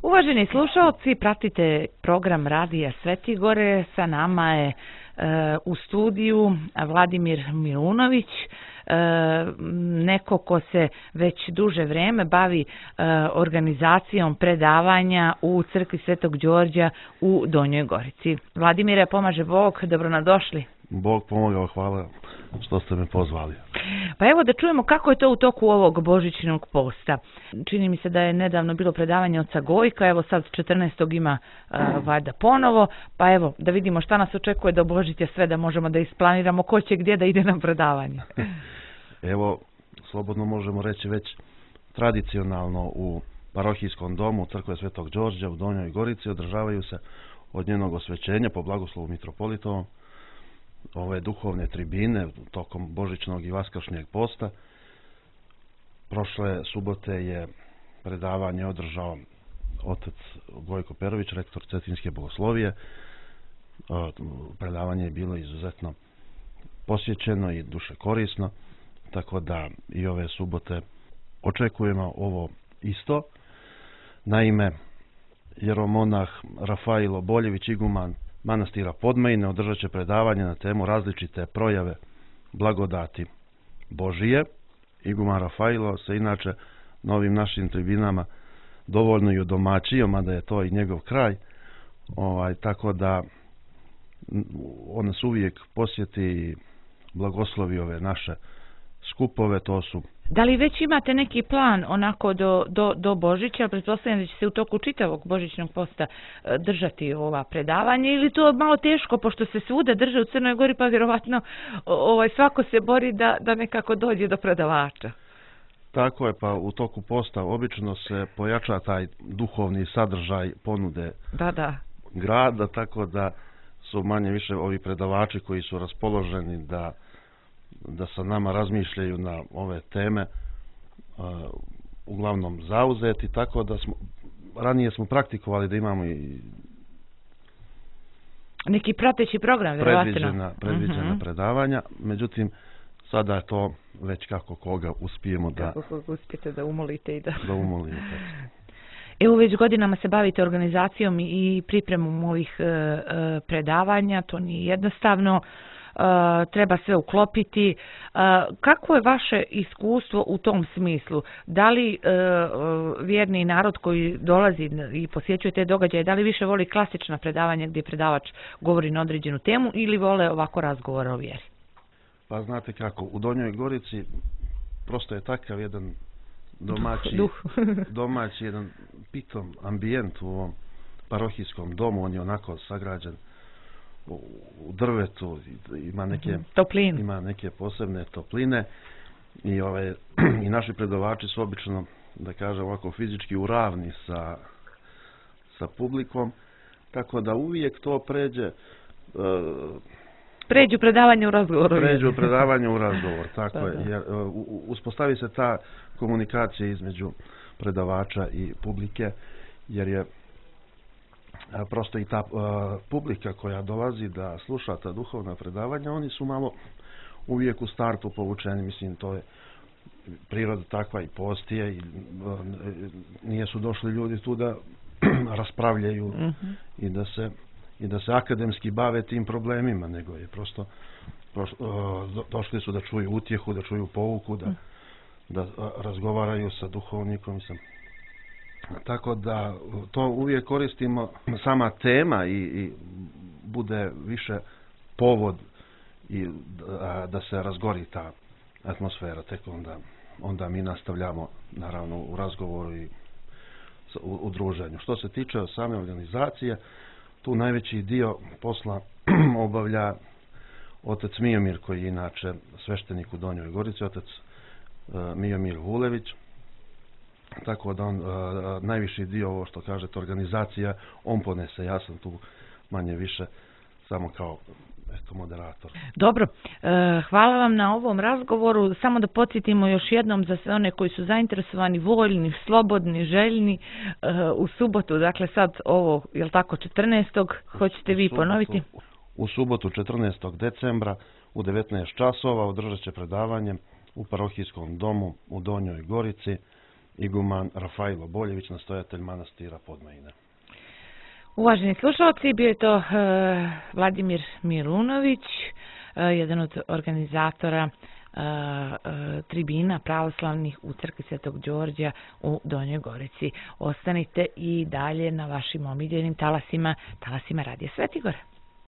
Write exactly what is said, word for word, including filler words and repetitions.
Uvaženi slušalci, pratite program Radija Svetigore. Sa nama je e, u studiju Vladimir Milunović, e, neko ko se već duže vreme bavi e, organizacijom predavanja u crkvi Svetog Đorđa u Donjoj Gorici. Vladimire, pomaže Bog, dobronadošli. Bog pomogao, hvala što ste me pozvali. Pa evo da čujemo kako je to u toku ovog božićnog posta. Čini mi se da je nedavno bilo predavanje oca Gojka, evo sad četrnaestog ima uh, valjda ponovo, pa evo da vidimo šta nas očekuje do Božića, sve da možemo da isplaniramo ko će gdje da ide na predavanje. Evo, slobodno možemo reći već tradicionalno u parohijskom domu crkve Svetog Đorđa u Donjoj Gorici održavaju se od njenog osvećenja po blagoslovu mitropolitovom ove duhovne tribine tokom božićnog i vaskršnjeg posta. Prošle subote je predavanje održao otac Gojko Perović, rektor Cetinske bogoslovije. Predavanje je bilo izuzetno posjećeno i duše korisno, tako da i ove subote očekujemo ovo isto. Naime, jeromonah Rafailo Boljević, iguman manastira Podmajine, održat će predavanje na temu različite projave blagodati Božije. Iguman Rafailo se inače novim našim tribinama dovoljno i udomaćio, mada je to i njegov kraj, ovaj, tako da on nas uvijek posjeti i blagoslovi ove naše skupove. To su... Da li već imate neki plan onako do, do, do Božića, pretpostavljam da će se u toku čitavog božićnog posta držati ova predavanja, ili to malo teško pošto se svuda drže u Crnoj Gori, pa vjerovatno ovaj, svako se bori da, da nekako dođe do predavača? Tako je, pa u toku posta obično se pojača taj duhovni sadržaj ponude da, da. grada, tako da su manje više ovi predavači koji su raspoloženi da da sa nama razmišljaju na ove teme, uh, uglavnom zauzeti, tako da smo, ranije smo praktikovali da imamo i neki prateći program, vjerovatno. Predviđena, predviđena uh-huh. predavanja, međutim, sada je to već kako koga uspijemo da... Kako uspijete da umolite i da... da umolite. Evo već godinama se bavite organizacijom i pripremom ovih uh, uh, predavanja, to nije jednostavno. Uh, treba sve uklopiti. Uh, kako je vaše iskustvo u tom smislu? Da li uh, vjerni narod koji dolazi i posjećuje te događaje, da li više voli klasična predavanja gdje predavač govori na određenu temu ili vole ovako razgovore o vjeri? Pa znate kako, u Donjoj Gorici prosto je takav jedan domaći, Duh. domaći jedan pitom ambijent u ovom parohijskom domu. On je onako sagrađen u drvetu, ima neke Toplin. ima neke posebne topline i ove i naši predavači su obično, da kažem ovako, fizički u ravni sa sa publikom, tako da uvijek to pređe uh, pređu predavanje u razgovoru. Pređu predavanje u razgovor, tako da, je. da. Jer, uh, uspostavi se ta komunikacija između predavača i publike, jer je prosto i ta uh, publika koja dolazi da sluša ta duhovna predavanja, oni su malo uvijek u startu povučeni, mislim, to je priroda takva i postije i uh, nije su došli ljudi tu da raspravljaju uh-huh. i da se i da se akademski bave tim problemima, nego je prosto, prosto uh, došli su da čuju utjehu, da čuju pouku, da, uh-huh. da uh, razgovaraju sa duhovnikom, mislim. Tako da to uvijek koristimo, sama tema i, i bude više povod i da, da se razgori ta atmosfera, tek onda, onda mi nastavljamo naravno u razgovoru i u, u druženju. Što se tiče same organizacije, tu najveći dio posla obavlja otac Mijomir, koji je inače sveštenik u Donjoj Gorici, otac uh, Mijomir Vulević. Tako da on, uh, najviši dio, ovo što kažete, organizacija, on ponese, ja sam tu manje više samo kao eto, moderator. Dobro, e, hvala vam na ovom razgovoru. Samo da podsjetimo još jednom za sve one koji su zainteresovani, voljni, slobodni, željni, e, u subotu, dakle sad ovo, je li tako, četrnaestog hoćete vi subotu, ponoviti? U subotu četrnaestog decembra u devetnaest časova održat će predavanje u parohijskom domu u Donjoj Gorici iguman Rafajlo Boljević, nastojatelj manastira Podmajine. Uvaženi slušalci, bio je to uh, Vladimir Milunović, uh, jedan od organizatora uh, uh, tribina pravoslavnih u crkvi Svetog Đorđa u Donjoj Gorici. Ostanite i dalje na vašim omiljenim talasima, talasima Radija Svetigora.